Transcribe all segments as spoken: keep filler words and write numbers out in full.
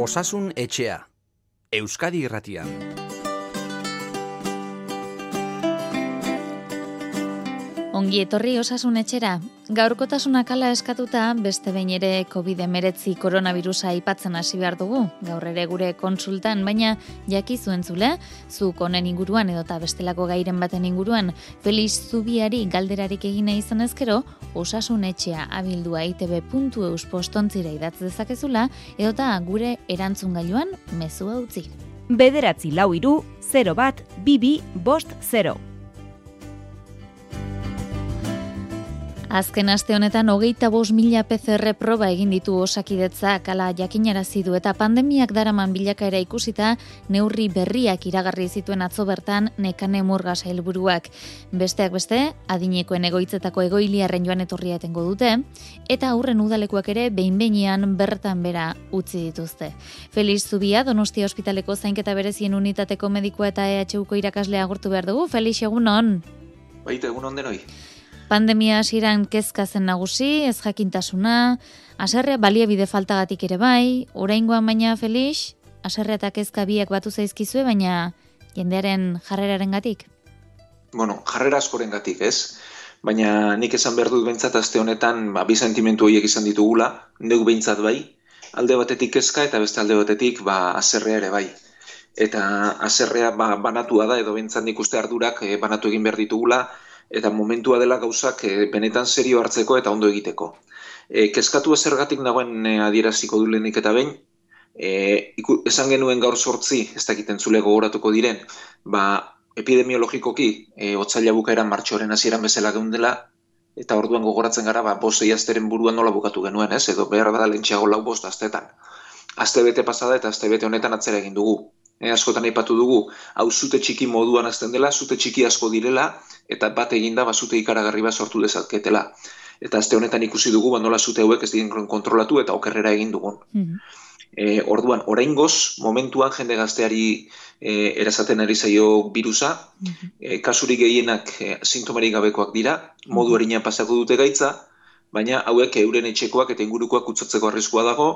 Osasun etxea, Euskadi Irratian. Ongi etorri Osasun etxera. Gaurkotasuna kala eskatuta, beste behin ere covid hemeretzi koronavirusa aipatzen hasi behar dugu. Gaur ere gure kontsultan, baina jakizu entzule, zuk honen inguruan edota bestelako gairen baten inguruan, Felix Zubiari galderarik egin nahi izan ezkero, Osasun etxea abildua i te be puntu eus postontzira idatz dezakezula, edota gure erantzungailuan mezua utzi. Bederatzi lau hiru, zero bat, bi bi, bost, zero. Azken aste honetan hogeita bost mila pe ce erre proba egin ditu Osakidetzak, hala jakinarazi du eta pandemiak daraman bilakaera ikusita neurri berriak iragarri zituen atzo bertan Nekane Murga sailburuak. Besteak beste, adinekoen egoitzetako egoiliarren joan etorria etengo dute, eta aurren udalekuak ere behin-behinean bertan bera utzi dituzte. Felix Zubia, Donostia Ospitaleko zainketa berezien unitateko medikoa eta E H Uko irakaslea agurtu behar dugu. Felix, egunon? Baita, egunon denoi. Pandemia hasieran kezka zen nagusi, ez jakintasuna, haserrea baliabide faltagatik ere bai, oraingoan baina Felix, haserrea eta kezka biak batu zaizkizue, baina jendearen jarrerarengatik. Bueno, jarrera askorengatik, ez? Baina nik esan behar dut behintzat aste honetan, ba, bi sentimentu horiek izan ditugula, neuk behintzat bai, alde batetik kezka eta beste alde batetik ba, haserrea ere bai. Eta haserrea ba, banatua da, edo behintzat nik uste ardurak eh, banatu egin behar ditugula, eta momentua dela gauzak e, benetan serio hartzeko eta ondo egiteko. E, kezkatu ezergatik nagoen e, adieraziko du lehenik eta behin, e, iku, esan genuen gaur sortzi, ez dakiten zule gogoratuko diren, ba, epidemiologikoki, e, otsaila bukaeran martxoaren hasieran bezala geundela, eta orduan gogoratzen gara, ba, bost asteren buruan nola bukatu genuen, ez? Edo behar da lentxeago lau bost astetan. Aste bete pasada eta aste bete honetan atzera egin dugu. E, askotan aipatu dugu, hau zute txiki moduan azten dela, zute txiki asko direla, eta bat eginda basute ikaragarri bat sortu dezaketela. Eta aste honetan ikusi dugu, ba, nola zute hauek ez diren kontrolatu eta okerrera egin dugun. Mm-hmm. E, orduan, oraingoz, momentuan jende gazteari e, erasaten ari zaio birusa, mm-hmm. e, kasurik gehienak e, sintomarik gabekoak dira, modu erinean pasako dute gaitza, baina hauek euren etxekoak eta ingurukoak kutsatzeko arriskua dago,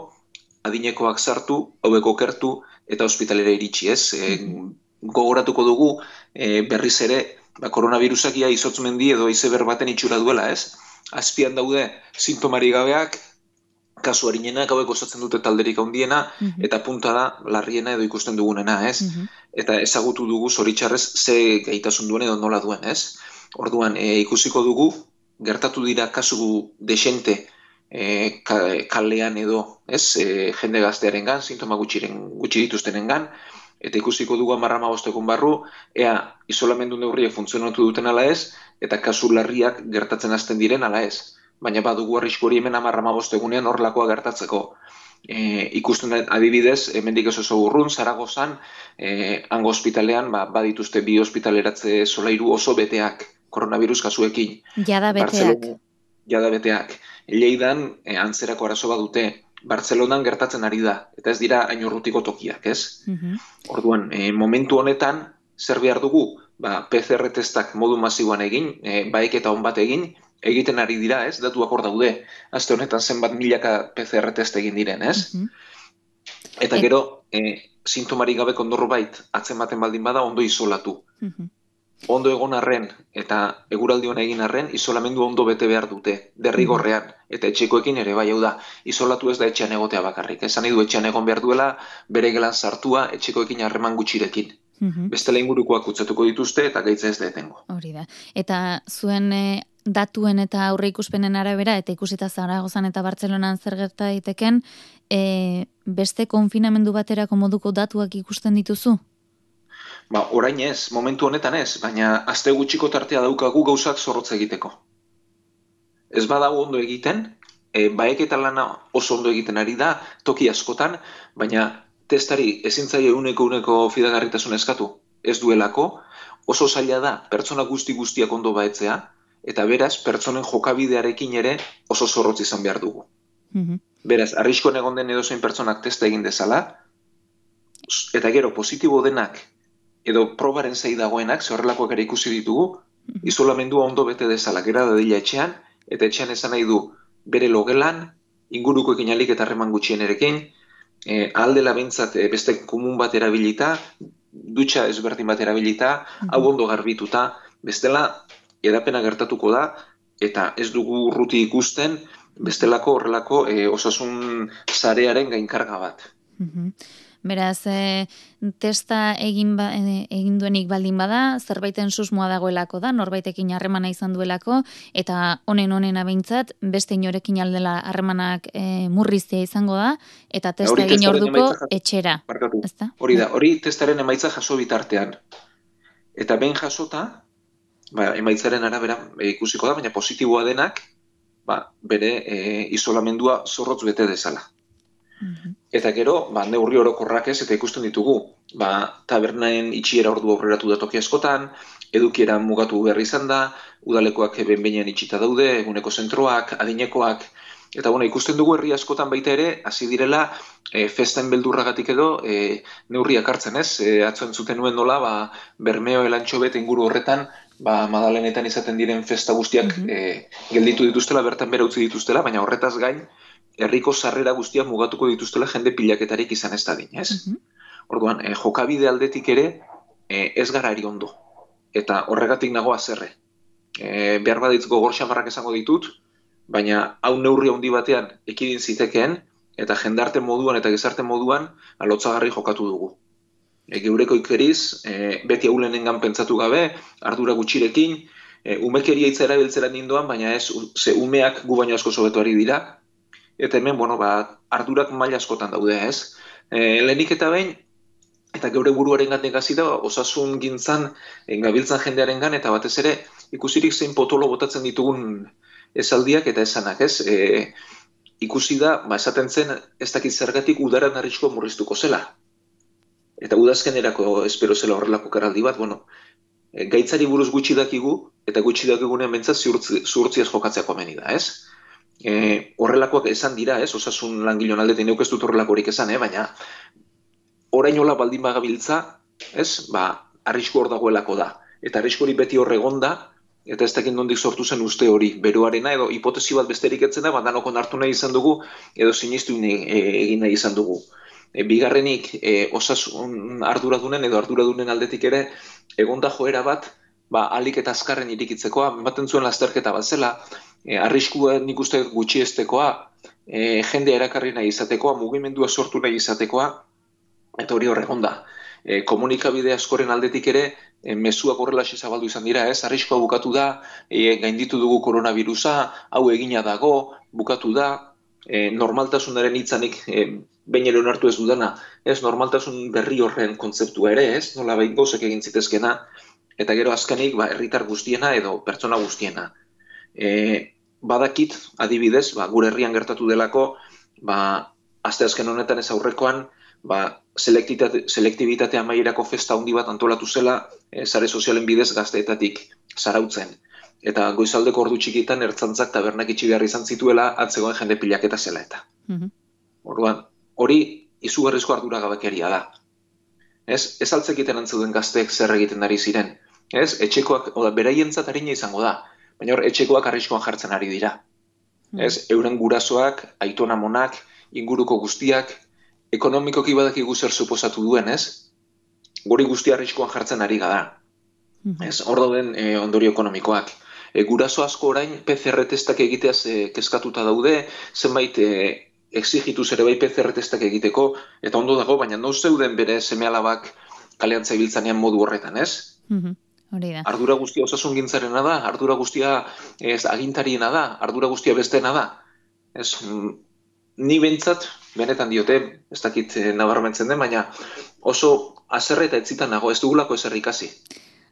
adinekoak sartu, hauek okertu eta ospitalera iritsi, ez? E, gogoratuko dugu e, berriz ere, ba, koronavirusak ia izotzmendi edo izeber baten itxura duela, ez? Azpian daude sintomari gabeak, kasu harinenak hauek osatzen dute talderik handiena, mm-hmm. eta punta da larriena edo ikusten dugunena, ez? Mm-hmm. Eta ezagutu dugu zoritxarrez ze gaitasun duen edo nola duen, ez? Orduan, e, ikusiko dugu, gertatu dira kasu desente e, kalean edo, ez? E, jende gaztearengan, sintoma gutxiren, gutxi dituztenengan, eta ikusiko dugu hamar hamabostekun barru, ea isolamendu neurriek funtzionatu duten ala ez, eta kasu larriak gertatzen hasten diren ala ez. Baina badugu arrisku hori hemen hamar hamabostegunean horrelakoa gertatzeko. E, ikusten adibidez, hemendik ez oso urrun, Zaragozan, e, hango ospitalean, ba, badituzte bi ospitaleratze solairu oso beteak, koronavirus kasuekin. Jada beteak. Jada beteak. Lleidan, e, antzerako arazo badute, Bartzelonan gertatzen ari da, eta ez dira hain urrutiko tokiak, ez? Mm-hmm. Orduan, e, momentu honetan, zer behar dugu, ba, pe ce erre testak modu masiboan egin, e, baeketa on bat egin, egiten ari dira, ez? Datuak hor daude, aste honetan zenbat milaka pe ce erre test egin diren, ez? Mm-hmm. Eta gero, e, sintomarik gabeko norbait atzen baten baldin bada, ondo isolatu. Mm-hmm. Ondo egon arren eta eguraldi hona egin arren, isolamendu ondo bete behar dute, derrigorrean, eta etxekoekin ere bai, hau da, isolatu ez da etxean egotea bakarrik. Esan nahi du etxean egon behar duela, bere gelan sartua, etxekoekin harreman gutxirekin. Mm-hmm. Bestela ingurukoak kutsatuko dituzte eta gaitza ez da etengo. Hori da. Eta zuen e, datuen eta aurre ikuspenen arabera, eta ikusita Zaragozan eta Bartzelonan zer gerta daiteken, e, beste konfinamendu baterako moduko datuak ikusten dituzu? Ba, orain ez, momentu honetan ez, baina aste gutxiko tartea daukagu gauzak zorrotz egiteko. Ez badago ondo egiten, e, baeketa lana oso ondo egiten ari da, toki askotan, baina testari ezintzaile uneko uneko fidagarritasun eskatu, ez duelako, oso zaila da pertsona guzti guztiak ondo baetzea, eta beraz, pertsonen jokabidearekin ere oso zorrotz izan behar dugu. Mm-hmm. Beraz, arriskoan egon den edozein pertsonak testa egin dezala, eta gero positibo denak, edo probaren zei dagoenak, ze horrelakoak ere ikusi ditugu, isolamendua ondo bete dezala, gera dadila etxean, eta etxean esan nahi du bere logelan, ingurukoekin alik eta harreman gutxienerekin, e, aldela bintzat e, beste komun bat erabilita, dutxa ezberdin bat erabilita, hau ondo garbituta, bestela edapena gertatuko da, eta ez dugu urruti ikusten, bestelako horrelako e, osasun sarearen gainkarga bat. Beraz, e, testa egin, ba, egin duenik baldin bada, zerbaiten susmoa dagoelako da, norbaitekin harremana izan duelako, eta honen honen abeintzat, beste inorekin aldela harremanak e, murriztea izango da, eta testa hori egin orduko emaitza, etxera. Barkatu, ezta? Hori da, hori testaren emaitza jaso bitartean. Eta behin jasota, ba, emaitzaren arabera e, ikusiko da, baina positiboa denak, ba, bere e, isolamendua zorrotz bete dezala. Eta gero, ba, neurri orokorrak ez, eta ikusten ditugu, ba, tabernaen itxiera ordu aurreratu da toki askotan, edukiera mugatu behar izan da, udalekoak behin-behinean itxita daude, eguneko zentroak, adinekoak, eta bueno, ikusten dugu herri askotan baita ere, hasi direla, e, festen beldurragatik edo, e, neurriak hartzen ez, e, atzo entzuten nuen nola, ba, Bermeo elantxobet inguru horretan, ba, Madalenetan izaten diren festa guztiak mm-hmm. e, gelditu dituztela, bertan bera utzi dituztela, baina horretaz gain, herriko sarrera guztiak mugatuko dituztela jende pilaketarik izan ez dadin, ez? Mm-hmm. Orduan, e, jokabide aldetik ere e, ez gara eri ondo. Eta horregatik nago azerre. E, behar baditz gogor xamarrak esango ditut, baina hau neurri handi batean ekidin zitekeen, eta jendarte moduan eta gizarte moduan alotzagarri jokatu dugu. E, geureko ikeriz, e, beti haulenengan pentsatu gabe, ardura gutxirekin, e, umekeria hitza erabiltzera nindoan, baina ez, ze umeak gu baino asko sobetuari dira, eta hemen, bueno, ba, ardurak maila askotan daude, ez? E, lehenik eta behin, eta geure buruaren gatik hasi da, osasun gintzan, gabiltzan jendearen gan, eta batez ere, ikusirik zein potolo botatzen ditugun esaldiak eta esanak, ez? E, ikusi da, ba, esaten zen, ez dakit zergatik udaran arriskoa murriztuko zela. Eta udazkenerako espero zela horrelako karaldi bat, bueno, e, gaitzari buruz gutxi dakigu, eta gutxi dakigunean bentsat zuhurtziaz jokatzeako ameni da, ez? E, horrelakoak esan dira, ez, osasun langilon aldetik neuk ez dut horrelakorik esan, eh? Baina orainola baldin bagabiltza, ez, ba, arrisku hor dagoelako da. Eta arrisku hori beti hor egon da, eta ez dakit nondik sortu zen uste hori, beroarena, edo hipotesi bat besterik etzen da, bandanokon hartu nahi izan dugu, edo sinistu egin nahi izan dugu. E, bigarrenik, e, osasun arduradunen edo arduradunen aldetik ere, egonda joera bat, ba, alik eta azkarren irikitzekoa, ematen zuen lasterketa bat zela, E, arriskua nik uste gutxiestekoa, e, jende erakarri nahi izatekoa, mugimendua sortu nahi izatekoa, eta hori horregon da. E, komunikabide askoren aldetik ere, e, mezuak horrelaxe zabaldu izan dira, ez? Arriskua bukatu da, e, gainditu dugu koronavirusa, hau egina dago, bukatu da, e, normaltasunaren hitzanik e, behin ere onartu ez dudana, ez? Normaltasun berri horren kontzeptua ere, ez? Nola behin gozek egin zitezkena, eta gero azkenik, ba, herritar guztiena edo pertsona guztiena. E, badakit, adibidez, ba, gure herrian gertatu delako, ba, asteazken honetan ez aurrekoan, ba, selektibitate amaierako festa handi bat antolatu zela, e, sare sozialen bidez gazteetatik zarautzen. Eta goizaldeko ordu txikitan ertzantzak tabernak itxi behar izan zituela, atzegoen jende pilaketa zela eta. Mm-hmm. Orduan, hori izugarrizko arduragabekeria da. Ez, ez altzekiten antzuden gazteek zer egiten ari ziren. Ez, etxekoak, oda, beraientzat harina izango da. Baina hor, etxekoak arriskoan jartzen ari dira. Mm. Ez, euren gurasoak, aitonamonak, inguruko guztiak, ekonomikoki badakigu zer suposatu duen, ez? Guri guzti arriskoan jartzen ari gara. Mm. Ez, hor dauden e, ondorio ekonomikoak. E, guraso asko orain P C R testak egiteaz e, kezkatuta daude, zenbait e, exigituz ere bai P C R testak egiteko, eta ondo dago, baina no zeuden bere seme-alabak kalean zabiltzanean modu horretan, ez? Mm-hmm. Ardura guztia osasun gintzarena da, ardura guztia ez, agintariena da, ardura guztia bestena da. Ez, ni bentsat, benetan diote, ez dakit nabarmentzen den, baina oso azerre eta etzitan nago, ez dugulako ezer ikasi.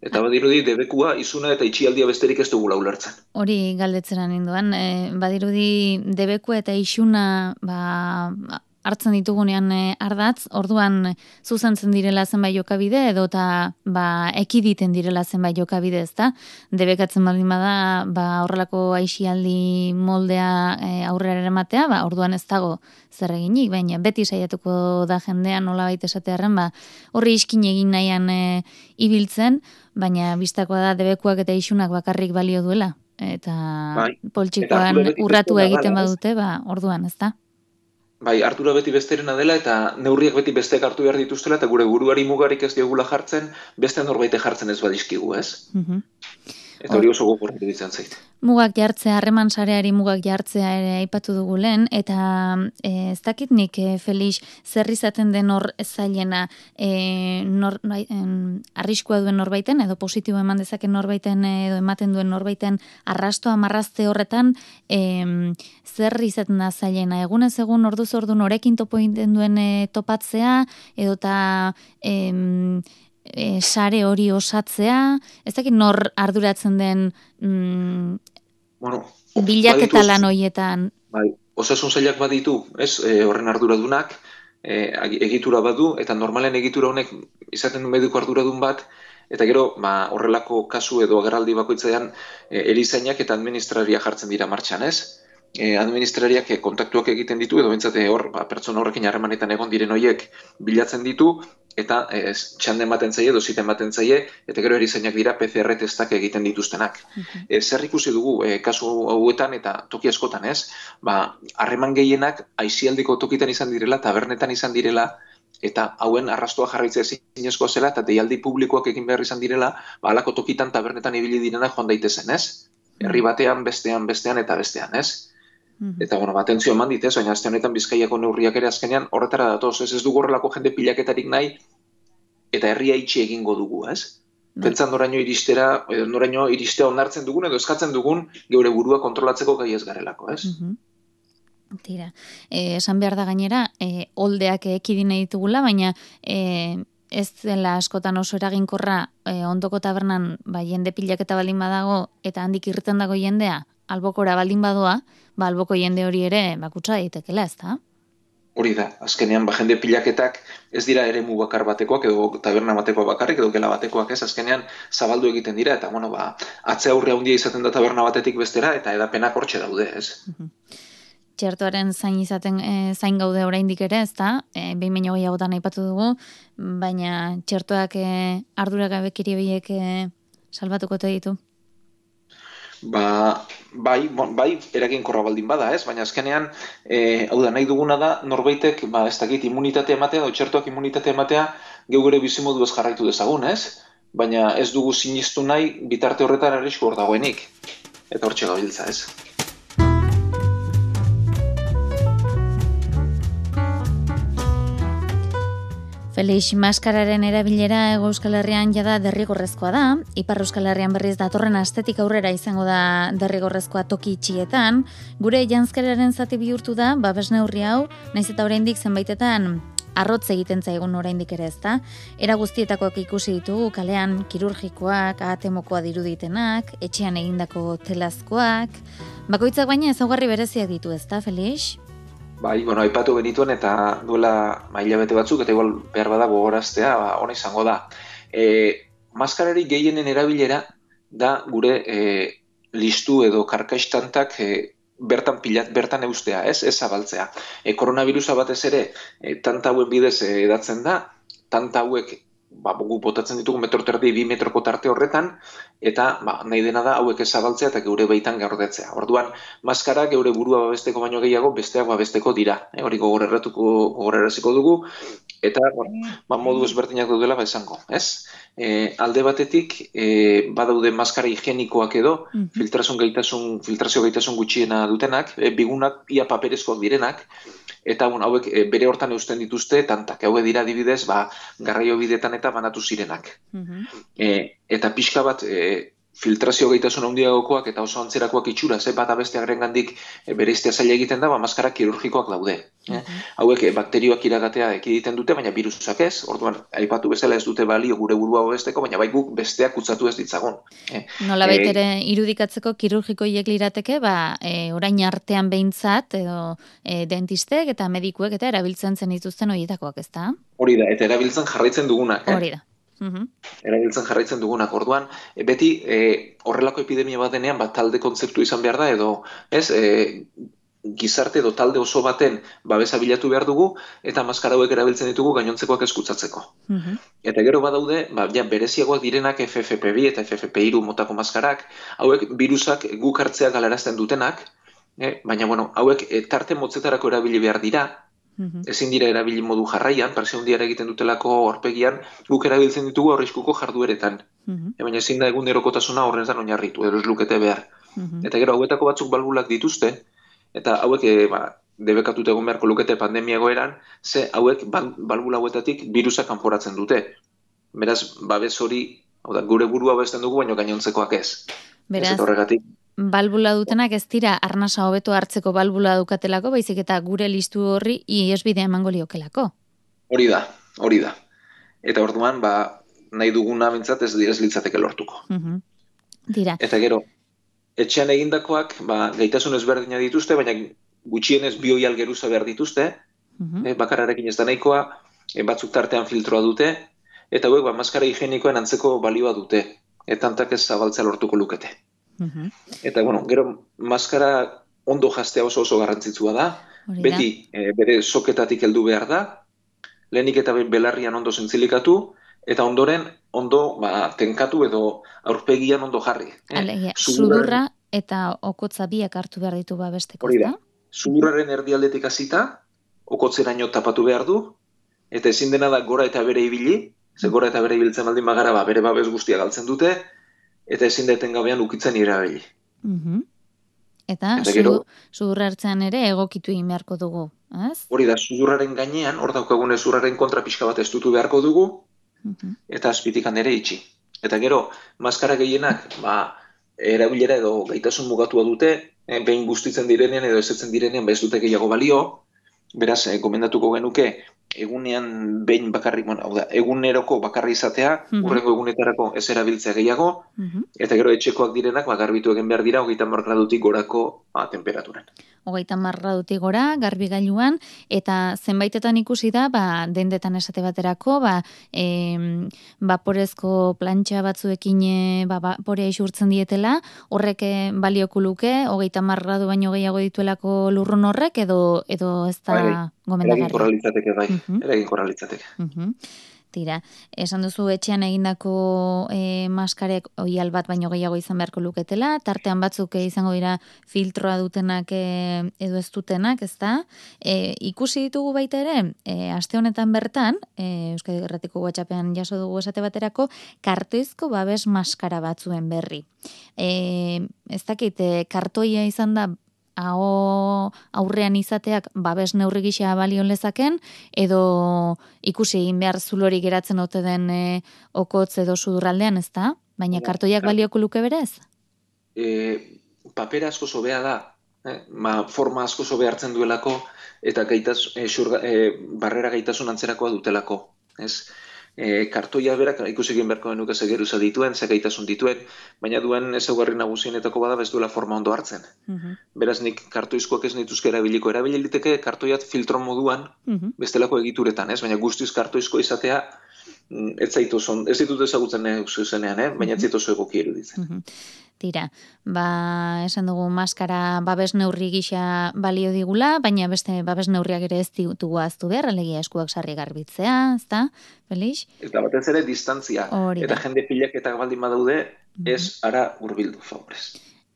Eta badirudi debekua, izuna eta itxialdia besterik ez dugula ulertzen. Hori galdetzera ninduan, e, badirudi debekua eta isuna ba, hartzen ditugunean e, ardatz, orduan zuzentzen direla zenbait jokabide edo eta ba, ekiditen direla zenbait jokabide, ezta? Debekatzen baldin bada ba, horrelako aixialdi moldea e, aurrera eramatea, ba, orduan ez dago zer eginik, baina beti saiatuko da jendean nola baita esatearren, ba, horri iskin egin nahian e, ibiltzen, baina bistakoa da debekuak eta isunak bakarrik balio duela. Eta bai. Poltsikoan eta urratu egiten badute, ba, orduan, ez da? bai, ardura beti besterena dela eta neurriak beti besteak hartu behar dituztela eta gure buruari mugarik ez diogula jartzen, beste norbaite jartzen ez badizkigu, ez? Mhm. Eta hori oso gogorra iruditzen zait. Mugak jartzea, harreman sareari mugak jartzea ere aipatu dugu lehen, eta e, ez dakit nik, e, Felix, zer izaten den hor zailena e, nor, en, arriskua duen norbaiten, edo positibo eman dezaken norbaiten, edo ematen duen norbaiten arrastoa marrazte horretan, e, zer izaten da zailena? Egunez egun orduz ordu norekin topo egiten duen e, topatzea, edo eta... E, E, sare hori osatzea, ez dakit nor arduratzen den mm, bueno, bilaketa lan horietan. Bai, osasun sailak baditu, ez, e, horren arduradunak, e, egitura badu, eta normalen egitura honek izaten du mediku arduradun bat, eta gero ba, horrelako kasu edo agerraldi bakoitzean e, erizainak eta administraria jartzen dira martxan, ez? E, administrariak e, kontaktuak egiten ditu, edo bentsate hor, ba, pertsona horrekin harremanetan egon diren horiek bilatzen ditu, eta e, txanden baten zaie, doziten baten zaie, eta gero erizainak dira P C R testak egiten dituztenak. Uh-huh. E, zer ikusi dugu, e, kasu hauetan eta toki askotan, ez? Ba, harreman gehienak aizialdiko tokitan izan direla, tabernetan izan direla, eta hauen arrastoa jarraitzea ezinezkoa zela, eta deialdi publikoak egin behar izan direla, ba, alako tokitan tabernetan ibili direnak joan daitezen, ez? Herri batean, bestean, bestean eta bestean, ez? Eta, bueno, atentzio eman dit, ez, baina azte honetan Bizkaiako neurriak ere azkenean horretara datoz, ez ez dugu horrelako jende pilaketarik nahi, eta herria itxi egingo dugu, ez? Pentsan noraino iristera, edo noraino iristea onartzen dugun, edo eskatzen dugun geure burua kontrolatzeko gai ez garelako, ez? Tira, eh, esan behar da gainera, eh, oldeak ekidine ditugula, baina eh, ez dela askotan oso eraginkorra eh, ondoko tabernan ba, jende pilaketa baldin badago, eta handik irten dago jendea, albokora baldin badoa, ba, alboko jende hori ere bakutsa daitekela, ez da? Hori da, azkenean, ba, jende pilaketak ez dira eremu bakar batekoak, edo taberna batekoak bakarrik, edo gela batekoak ez, azkenean zabaldu egiten dira, eta, bueno, ba, atze aurre handia izaten da taberna batetik bestera, eta edapenak hortxe daude, ez? Txertoaren zain izaten e, zain gaude oraindik ere, ez da? E, behin baino gehiagotan aipatu dugu, baina txertoak e, arduragabekiri horiek e, salbatuko te ditu. Ba, bai, bon, bai, eraginkorra baldin bada, ez? Baina azkenean, e, hau da, nahi duguna da, norbaitek, ba, ez dakit, immunitate ematea, edo txertoak immunitate ematea, geu gure bizimodu ez jarraitu dezagun, ez? Baina ez dugu sinistu nahi, bitarte horretan arrisku hor dagoenik. Eta hortxe gabiltza, ez? Felix, maskararen erabilera Hego Euskal Herrian jada derrigorrezkoa da, Ipar Euskal Herrian berriz datorren astetik aurrera izango da derrigorrezkoa toki itxietan, gure janzkeraren zati bihurtu da, babes neurri hau, naiz eta oraindik zenbaitetan arrotz egiten zaigun oraindik ere ez da, era guztietakoak ikusi ditugu, kalean kirurgikoak, ahatemokoa diruditenak, etxean egindako telazkoak, bakoitzak baina ezaugarri bereziak ditu ez da, Felix? Bai, bueno, aipatu genituen eta duela hilabete batzuk, eta igual behar bada gogoraztea, ba, ona izango da. E, maskarari gehienen erabilera da gure e, listu edo karkaistantak e, bertan pilat, bertan eustea, ez, ez zabaltzea. E, koronavirusa batez ere, e, tanta hauen bidez e, edatzen da, tanta hauek ba, gu botatzen ditugu metro terdi, bi metroko tarte horretan, eta ba, nahi dena da hauek ezabaltzea eta geure baitan gaurdetzea. Orduan, maskara geure burua babesteko baino gehiago, besteak babesteko dira. E, hori gogoreratuko, gogorerraziko dugu, eta bueno, ba, modu ezberdinak daudela ba esango, ez? E, alde batetik, e, badaude maskara higienikoak edo, mm-hmm. filtrazio gaitasun, filtrazio gaitasun gutxiena dutenak, e, bigunak ia paperezkoak direnak, eta bon, hauek e, bere hortan eusten dituzte tantak. Hauek dira adibidez, ba, garraio bidetan eta banatu zirenak. Mm-hmm. E, eta pixka bat e, filtrazio gaitasun handiagokoak eta oso antzerakoak itxura, ze bat abestearen gandik e, bereiztea zaila egiten da, ba, maskara kirurgikoak daude. Mm-hmm. E, hauek e, bakterioak iragatea ekiditen dute, baina virusak ez, orduan, aipatu bezala ez dute balio gure burua babesteko, baina bai guk besteak kutsatu ez ditzagun. E, Nola baitere e, irudikatzeko kirurgikoiek lirateke, ba, e, orain artean behintzat, edo e, dentistek eta medikuek eta erabiltzen zen dituzten horietakoak, ez da? Hori da, eta erabiltzen jarraitzen dugunak. Eh? Hori da. Uhum. Erabiltzen jarraitzen dugunak, orduan, e, beti e, horrelako epidemia bat denean, bat talde kontzeptu izan behar da, edo, ez, e, gizarte edo talde oso baten babesa bilatu behar dugu, eta maskara hauek erabiltzen ditugu gainontzekoak eskutsatzeko. Uhum. Eta gero badaude, ba, ja, bereziagoak direnak F F P bi eta F F P hiru motako maskarak, hauek virusak guk hartzea galarazten dutenak, e, baina, bueno, hauek e, tarte motzetarako erabili behar dira, Mhm. Ezin dira erabili modu jarraian, presio handiara egiten dutelako aurpegian, guk erabiltzen ditugu arriskuko jardueretan. Mhm. E, baina ezin da egunerokotasuna horretan oinarritu, edo ez lukete behar. Mhm. Eta gero hauetako batzuk balbulak dituzte, eta hauek e, ba, debekatuta egon beharko lukete pandemia egoeran, ze hauek bal, balbula hauetatik virusa kanporatzen dute. Beraz, babes hori, hau da, gure burua babesten dugu, baina gainontzekoak ez. Beraz, Ez eta horregatik, balbula dutenak ez dira arnasa hobeto hartzeko balbula dukatelako, baizik eta gure listu horri iesbidea emango liokelako. hori da, hori da. Eta orduan, ba, nahi duguna bintzat ez, ez litzateke lortuko. Mhm. Dira. Eta gero, etxean egindakoak, ba, gaitasun ezberdina dituzte, baina gutxienez bi oihal geruza behar dituzte, Mhm. e, bakarrarekin ez da nahikoa, e, batzuk tartean filtroa dute, eta hauek, ba, maskara higienikoen antzeko balioa dute, eta hantak ez zabaltzea lortuko lukete. Mhm. Eta, bueno, gero, maskara ondo jastea oso oso garrantzitsua da, Hori da. beti e, bere soketatik heldu behar da, lehenik eta behin belarrian ondo zintzilikatu, eta ondoren ondo ba, tenkatu edo aurpegian ondo jarri. Eh? Alegia, Sudurraren- sudurra eta okotza biak hartu behar ditu babesteko, Hori da. ezta? Sudurraren erdialdetik hasita, okotzeraino tapatu behar du, eta ezin dena da gora eta bere ibili, ze gora eta bere ibiltzen baldin bagara, ba, bere babes guztia galtzen dute, eta ezin da etengabean ukitzen irabili. Mhm. Eta, Eta gero- sudu- sudurra hartzean ere egokitu egin beharko dugu, ez? Hori da, sudurraren gainean, hor daukagun ezurraren kontra pixka bat estutu beharko dugu, Mhm. eta azpitikan ere itxi. Eta gero, maskara gehienak, ba, erabilera edo gaitasun mugatua dute, eh, behin guztitzen direnean edo ezetzen direnean, ba, ez dute gehiago balio, beraz, eh, gomendatuko genuke, egunean behin bakarrik, bueno, hau da, eguneroko bakarri izatea, Mhm. hurrengo egunetarako ez erabiltzea gehiago, Mhm. eta gero etxekoak direnak, ba, garbitu egin behar dira, hogeita hamar gradutik gorako ba, temperaturan. Hogeita hamar gradutik gora, garbigailuan, eta zenbaitetan ikusi da, ba, dendetan esate baterako, ba, em, vaporezko plantxa batzuekin e, ba, vaporea isurtzen dietela, horrek e, balioko luke, hogeita hamar gradu baino gehiago dituelako lurrun horrek, edo, edo ez Bai, bai. da gomendagarria. Eraginkorra litzateke, bai, Mhm. eraginkorra litzateke. Mhm. Tira, esan duzu etxean egindako e, maskarek oial bat baino gehiago izan beharko luketela, tartean batzuk e, izango dira filtroa dutenak e, edo ez dutenak, ezta? E, ikusi ditugu baita ere, e, aste honetan bertan, e, Euskadi Irratiko WhatsAppean jaso dugu esate baterako, kartoizko babes maskara batzuen berri. E, ez dakit, e, kartoia izan da aho aurrean izateak babes neurri gisa balio lezaken, edo ikusi egin behar zulori geratzen ote den e, okotz edo sudurraldean, ezta? Baina kartoiak balioko luke berez? E, papera asko sobea da, eh? Ma, forma asko sobe hartzen duelako, eta gaitas, e, xurga, e, barrera gaitasun antzerakoa dutelako. Ez? E, kartoia berak ikusi egin beharko genuke ze geruza dituen, ze gaitasun dituen, baina duen ezaugarri nagusienetako bada ez duela forma ondo hartzen. Mhm. Beraz nik kartoizkoak ez nituzke erabiliko, erabili liteke kartoiat filtro moduan, Mhm. bestelako egituretan, ez? Baina guztiz kartoizko izatea, mm, ez zaitu zon, ez ditut ezagutzen nahi zuzenean, eh? Baina ez zaitu oso egoki eruditzen. Mhm. Tira, ba, esan dugu maskara babes neurri gisa balio digula, baina beste babes neurriak ere ez ditugu ahaztu behar, alegia eskuak sarri garbitzea, ezta, Felix? Eta batez ere distantzia, Hori da. eta jende pilaketak baldin badaude, ez ara hurbildu favorez.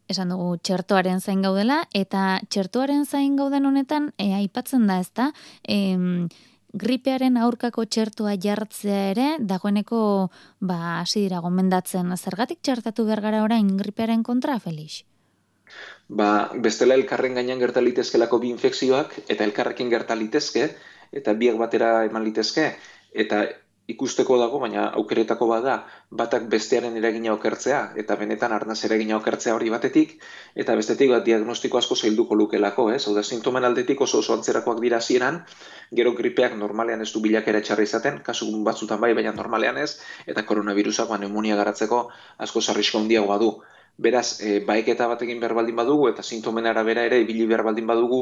Esan dugu txertoaren zain gaudela, eta txertoaren zain gauden honetan, e, aipatzen da, ezta, em, gripearen aurkako txertoa jartzea ere, dagoeneko, ba, hasi dira gomendatzen, zergatik txertatu behar gara orain gripearen kontra, Felix? Ba, bestela elkarren gainean gerta litezkelako bi infekzioak, eta elkarrekin gerta litezke, eta biak batera eman litezke, eta ikusteko dago, baina aukeretako bada, batak bestearen eragina okertzea, eta benetan arnaz eragina okertzea hori batetik, eta bestetik bat diagnostiko asko zailduko lukelako, ez? Hau da, sintomen aldetik oso oso antzerakoak dira hasieran, gero gripeak normalean ez du bilakera txarra izaten, kasu batzutan bai, baina normalean ez, eta koronavirusak ba, pneumonia garatzeko asko sarrisko handiagoa du. Beraz, e, baeketa bat egin behar baldin badugu, eta sintomen arabera ere ibili behar baldin badugu,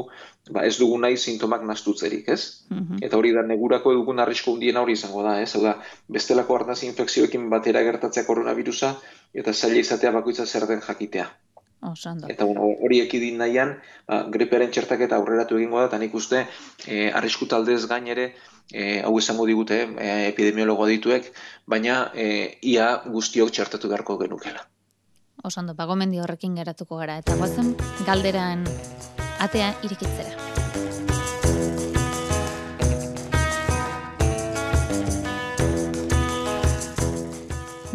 ba, ez dugu nahi sintomak nastutzerik, ez? Mhm. Eta hori da, negurako dugun arrisko hundiena hori izango da, ez? Hau da, bestelako arnaz infekzioekin batera gertatzea koronavirusa, eta zaila izatea bakoitza zer den jakitea. Oso ondo. Eta bueno, hori ekidin nahian, ba, gripearen txertaketa aurreratu egingo da, eta nik uste e, arrisku taldez gain ere, e, hau esango digute, e, epidemiologo dituek, baina e, ia guztiok txertatu beharko genukela. Oso ondo, bagomendi horrekin geratuko gara, eta guazen galderan atea irikitzera.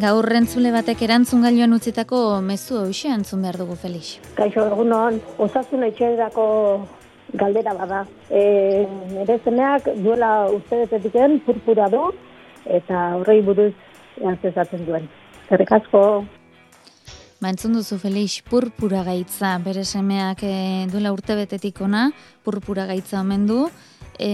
Gaur entzule batek erantzun gailuan utzitako mezu hauxe entzun behar dugu, Felix. Kaixo, egunon, osasun etxerako galdera bada. E, nire zemeak duela uste betetiken purpura du, eta horrei buruz antzezatzen duen. Zerrik asko. Ba, entzun duzu, Felix, purpura gaitza, bere semeak e, duela urte betetik ona, purpura gaitza omen du. E,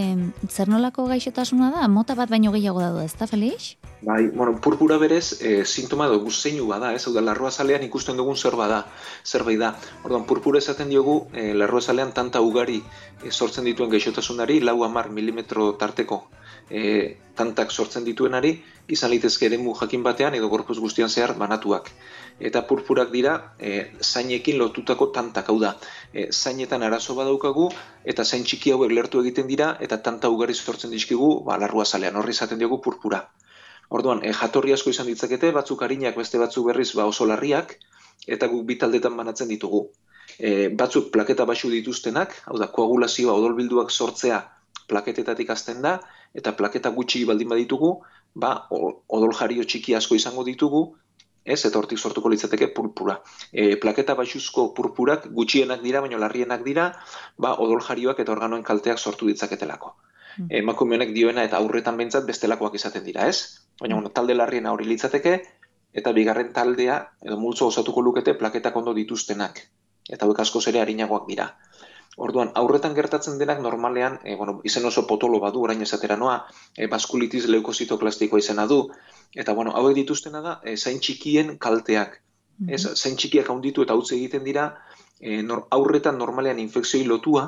zer nolako gaixotasuna da? Mota bat baino gehiago da du, ez da, Felix? Bai, bueno, purpura berez, e, sintoma dugu zeinu bada, ez, hau da, larruazalean ikusten dugun zer bada, zerbait da. Orduan, purpura esaten diogu, e, larruazalean tanta ugari e, sortzen dituen gaixotasunari, lau hamar milimetro tarteko e, tantak sortzen dituenari, izan litezke eremu jakin batean edo gorpuz guztian zehar banatuak. Eta purpurak dira e, zainekin lotutako tantak, hau da, e, zainetan arazo badaukagu eta zain txiki hauek lertu egiten dira eta tanta ugari sortzen dizkigu ba, larruazalean, horri izaten diogu purpura. Orduan, e, jatorri asko izan ditzakete, batzuk arinak, beste batzuk berriz ba, oso larriak, eta guk bi taldetan banatzen ditugu. E, batzuk plaketa baxu dituztenak, hau da, koagulazioa, odolbilduak sortzea plaketetatik hasten da, eta plaketa gutxi baldin baditugu, ba, odol jario txiki asko izango ditugu, ez, eta hortik sortuko litzateke purpura. E, plaketa baxuzko purpurak gutxienak dira, baina larrienak dira, ba, odol jarioak eta organoen kalteak sortu ditzaketelako. Mm. Emakume honek dioena eta aurretan behintzat bestelakoak izaten dira, ez? Baina bueno, talde larriena hori litzateke, eta bigarren taldea, edo multzo osatuko lukete plaketak ondo dituztenak. Eta hauek askoz ere arinagoak dira. Orduan, aurretan gertatzen denak normalean, e, bueno, izen oso potolo badu, orain esatera noa, e, baskulitis leukositoplastikoa izena du, eta bueno, hauek dituztena da, e, zain txikien kalteak. Mm-hmm. Ez, zain txikiak handitu eta utzi egiten dira, e, nor, aurretan normalean infekzioi lotua,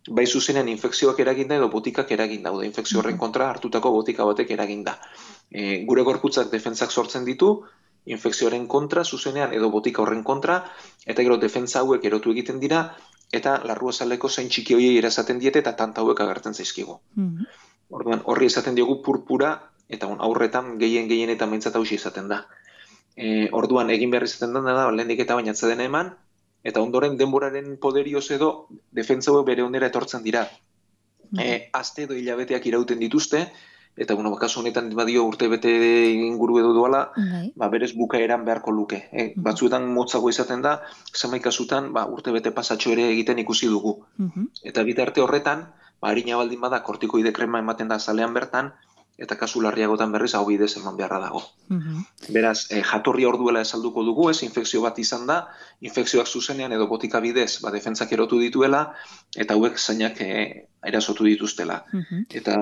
bai zuzenean infekzioak eraginda edo botikak eraginda, da infekzio horren kontra hartutako botika batek eraginda. E, gure gorputzak defentsak sortzen ditu, infekzioaren kontra, zuzenean edo botika horren kontra, eta gero defentsa hauek erotu egiten dira, eta larruazaleko zain txiki horiei erasaten diete eta tanta hauek agertzen zaizkigu. Mm-hmm. Orduan, horri esaten diogu purpura, eta on, aurretan gehien gehien eta maintzat hausi izaten da. E, orduan, egin behar izaten da, lehendik eta bainatza dena eman, eta ondoren denboraren poderioz edo defentsa hauek bere onera etortzen dira. Mm-hmm. E, aste edo hilabeteak irauten dituzte, eta bueno, kasu honetan badio urtebete inguru edo doala, okay. Ba, berez bukaeran beharko luke. E, mm-hmm. Batzuetan motzago izaten da, zenbait kasutan ba, urtebete pasatxo ere egiten ikusi dugu. Mm-hmm. Eta bitarte horretan, ba, harina baldin bada kortikoide krema ematen da zalean bertan, eta kasu larriagotan berriz hau bidez eman beharra dago. Mm-hmm. Beraz, e, jatorri orduela esalduko dugu, ez, infekzio bat izan da, infekzioak zuzenean edo botika bidez, ba, defentsak erotu dituela, eta hauek zainak e, erasotu dituztela. Mm-hmm. Eta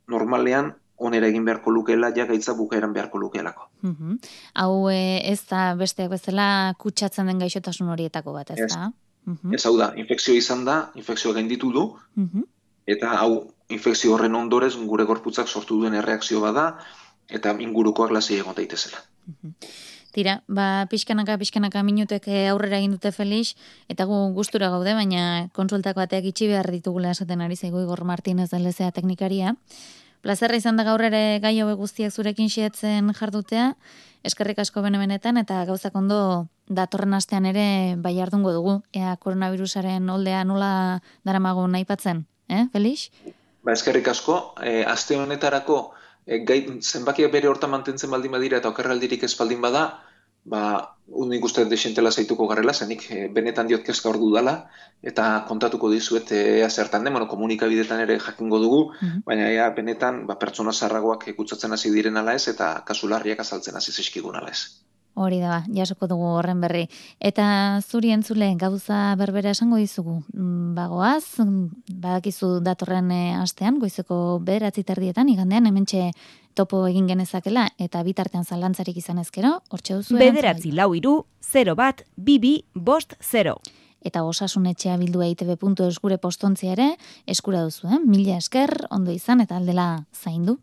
normalean, onera egin beharko lukeela, ja gaitza bukaeran beharko lukeelako. Mm-hmm. Hau e, ez da besteak bezala kutsatzen den gaixotasun horietako bat, ez da? Mm-hmm. Ez hau da, infekzio izan da, infekzioa gainditu du, mm-hmm. eta hau infekzio horren ondorez gure gorputzak sortu duen erreakzio bada, eta ingurukoak lasai egon daitezela. Mm-hmm. Tira, ba, pixkanaka, pixkanaka minutek aurrera egin dute Felix, eta gu gustura gaude, baina konsultako bateak itxi behar ditugula esaten ari zaigu Igor Martínez L Z A teknikaria. Plazerra izan da gaur ere gai hauek guztiak zurekin xeetzen jardutea, eskerrik asko bene-benetan, eta gauzak ondo datorren astean ere bai ardungo dugu, ea koronavirusaren oldea nola daramagun aipatzen, eh, Felix? Ba, eskerrik asko, e, aste honetarako e, gai, zenbakiak bere horta mantentzen baldin badira eta okerraldirik ez baldin bada, ba, unik uste desentela zaituko garrela, zenik e, benetan diot kezka ordu dala, eta kontatuko dizuet ea zertan den, bueno, komunikabidetan ere jakingo dugu, mm-hmm. baina ea benetan ba, pertsona zarragoak kutsatzen hasi diren ala ez, eta kasularriak azaltzen hasi zizkigun ala ez. Hori da, jasoko dugu horren berri. Eta zuri entzule, gauza berbera esango dizugu. Bagoaz, badakizu datorren astean, goizeko bederatzi terdietan, igandean, hementxe topo egin genezakela, eta bitartean zalantzarik izan ezkero, hortxe duzu bederatzi lau iru, zero bat, bibi, bost, zero. Eta osasun etxea bildu eitb puntu eus gure postontzia ere, eskura duzu, eh? Mila esker, ondo izan, eta aldela zaindu.